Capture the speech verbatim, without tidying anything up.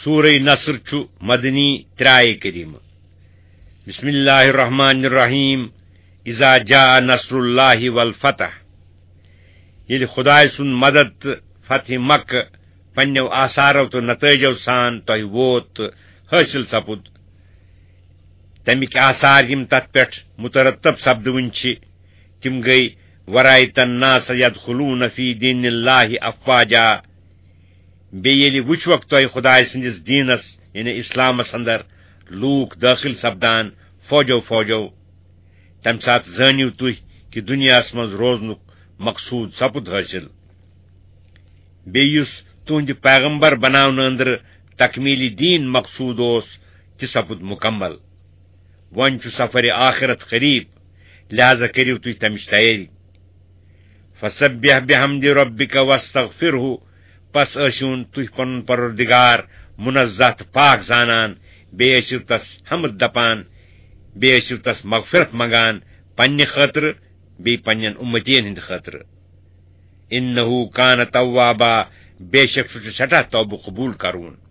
سورہ نصر چھُ مدنی، ترٛےٚ آیے کریمہٕ۔ بسم اللہ الرحمن الرحیم۔ اذا جاء نصر اللہ والفتح۔ ییٚلہِ خدایہِ سُنٛد مدد تہٕ فتح مکہ پننیو آثارو تہٕ نتائجو سان تۄہہِ ووت تہٕ حٲصِل سپُد، تمِکۍ آثار یِم تتھ پٮ۪ٹھ مترتب سپدوٕنۍ چھِ، تِم گٔے، ورأیت الناس یدخلون فی دین اللہ افواجا۔ بیٚیہِ ییٚلہِ وٕچھوکھ تۄہہِ خدایہِ سٕنٛدِس دیٖنس، یعنی اسلامس اندر، لوٗکھ دٲخل سپدان فوجو فوجو، تمہِ ساتہٕ زٲنِو تُہۍ کہِ دُنیاہس منٛز روزنُک مقصوٗد سپُد حٲصِل۔ بیٚیہِ یُس تُہنٛدِ پیغمبر بناونہٕ أنٛدرٕ تکمیٖلی دیٖن مقصوٗد اوس، تہِ سپُد مُکمل۔ وۄنۍ چھُ سفرِ آخرت قریب، لہذا کٔرِو تُہۍ تمِچ تیٲری۔ فسبح بحمد ربک واستغفرہ، پس ٲسِوُن تُہۍ پنُن پروردگار منزہ تہٕ پاک زانان، بیٚیہِ ٲسِو تس حمد دپان، بیٚیہِ ٲسِو تس مغفرت منگان، پننہِ خٲطرٕ بیٚیہِ پننٮ۪ن اُمتین ہٕنٛدِ خٲطرٕ۔ انہ کان توابا، بے شک سُہ چھُ سٮ۪ٹھاہ توبہٕ قبوٗل کرون۔